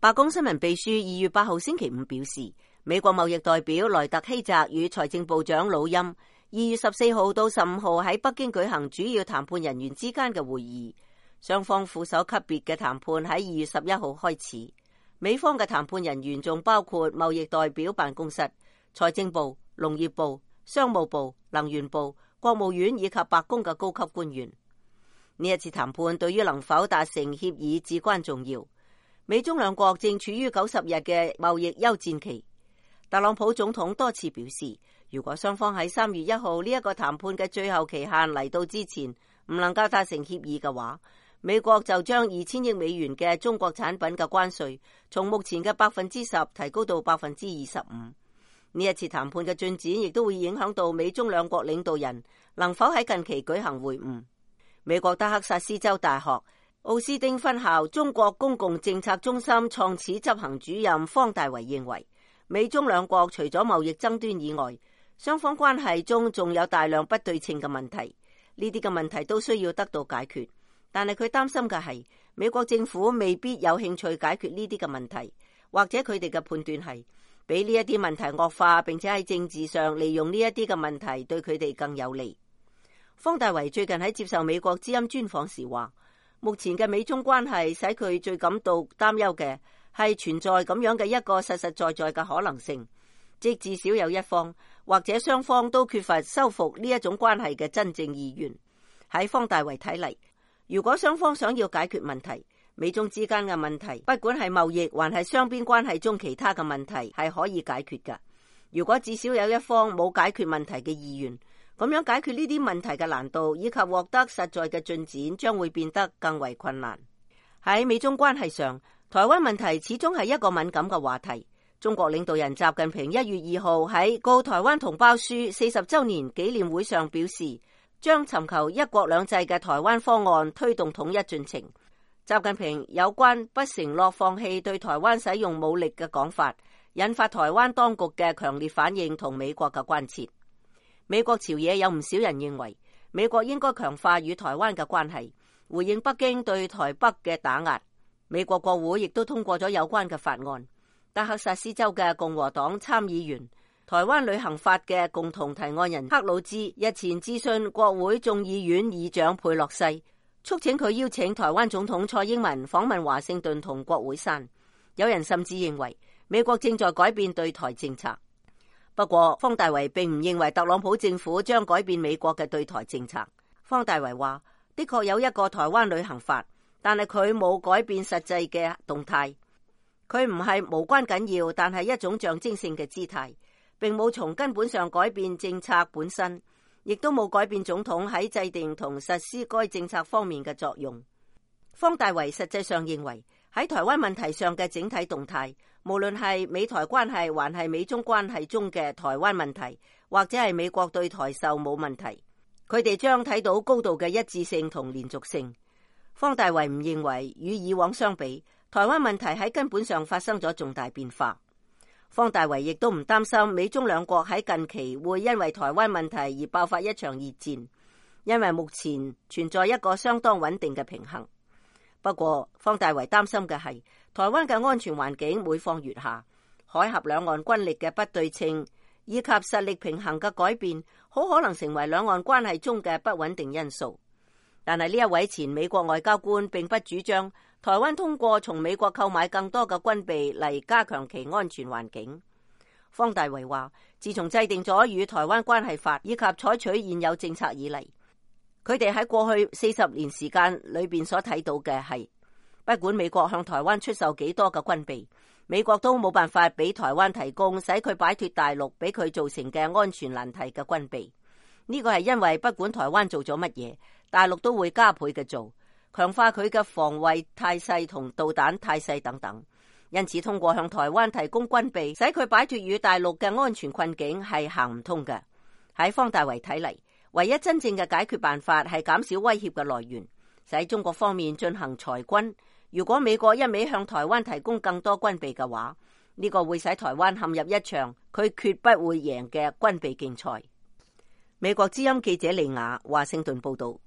白宮新聞秘書2月8號星期五表示，美國貿易代表萊特希澤與財政部長魯欽2月14號到15號喺北京舉行主要談判人員之間嘅會議，雙方副手級別嘅談判喺2月11號開始。美方嘅談判人員仲包括貿易代表辦公室、財政部、農業部、商務部、能源部、國務院以及白宮嘅高級官員。呢一次談判對於能否達成協議至關重要。美中兩國正處於90日嘅貿易休戰期。特朗普總統多次表示，如果雙方喺3月1號呢一個談判嘅最後期限嚟到之前唔能夠達成協議嘅話，美國就將2000億美元嘅中國產品嘅關稅從目前嘅10%提高到25%。呢一次談判嘅進展亦都會影響到美中兩國領導人能否喺近期舉行會晤。美國德克薩斯州大學奧斯汀分校中國公共政策中心創始執行主任方大為認為，美中兩國除咗貿易爭端以外，雙方關係中仲有大量不對稱嘅問題，呢啲嘅問題都需要得到解決。但係佢擔心嘅係，美國政府未必有興趣解決呢啲嘅問題，或者佢哋嘅判斷係比呢一啲問題惡化，並且喺政治上利用呢一啲嘅問題對佢哋更有利。方大為最近喺接受美國之音專訪時話，目前嘅美中關係使佢最感到擔憂嘅係存在咁樣嘅一個實實在在嘅可能性，即至少有一方或者雙方都缺乏修復呢一種關係嘅真正意願。喺方大為睇嚟，如果雙方想要解決問題，美中之間嘅問題，不管係貿易還係雙邊關係中其他嘅問題，係可以解決㗎。如果至少有一方冇解決問題嘅意願，咁樣解決呢啲問題嘅難度以及獲得實在嘅進展將會變得更為困難。喺美中關係上，台灣問題始終係一個敏感嘅話題。中國領導人習近平1月2號喺告台灣同胞書40週年紀念會上表示，將尋求一國兩制嘅台灣方案推動統一進程。習近平有關不承諾放棄對台灣使用武力嘅講法，引發台灣當局嘅強烈反應同美國嘅關切。美國朝野有唔少人認為，美國應該強化與台灣嘅關係，回應北京對台北嘅打壓。美國國會亦都通過咗有關嘅法案。德克薩斯州嘅共和黨參議員、台灣旅行法嘅共同提案人克魯茲日前致信國會眾議院議長佩洛西，促請佢邀請台灣總統蔡英文訪問華盛頓同國會山。有人甚至認為美國正在改變對台政策。不過，方大為並唔認為特朗普政府將改變美國嘅對台政策。方大為話，的確有一個台灣旅行法，但係佢冇改變實際嘅動態。佢唔係無關緊要，但係一種象徵性嘅姿態，並冇從根本上改變政策本身，亦都冇改變總統喺制定同實施該政策方面嘅作用。方大為實際上認為，喺台灣問題上嘅整體動態，無論係美台關係還係美中關係中嘅台灣問題，或者係美國對台售武問題，佢哋將睇到高度嘅一致性同連續性。方大為唔認為與以往相比，台灣問題喺根本上發生咗重大變化。方大為亦都唔擔心美中兩國喺近期會因為台灣問題而爆發一場熱戰，因為目前存在一個相當穩定嘅平衡。不過，方大為擔心嘅係台灣嘅安全環境每況愈下，海峽兩岸軍力嘅不對稱以及實力平衡嘅改變，好可能成為兩岸關係中嘅不穩定因素。但係呢一位前美國外交官並不主張台灣通過從美國購買更多嘅軍備嚟加強其安全環境。方大為話，自從制定咗與台灣關係法以及採取現有政策以嚟，佢哋喺過去40年時間裏邊所睇到嘅係，不管美國向台灣出售幾多嘅軍備，美國都冇辦法俾台灣提供使佢擺脫大陸俾佢造成嘅安全難題嘅軍備。呢個係因為不管台灣做咗乜嘢，大陸都會加倍嘅做，強化佢嘅防衛態勢同導彈態勢等等。因此，通過向台灣提供軍備，使佢擺脫與大陸嘅安全困境係行唔通嘅。喺方大為睇嚟，唯一真正嘅解決辦法係減少威脅嘅來源，使中國方面進行裁軍。如果美國一味向台灣提供更多軍備嘅話，呢個會使台灣陷入一場佢決不會贏嘅軍備競賽。美國之音記者利亞華盛頓報道。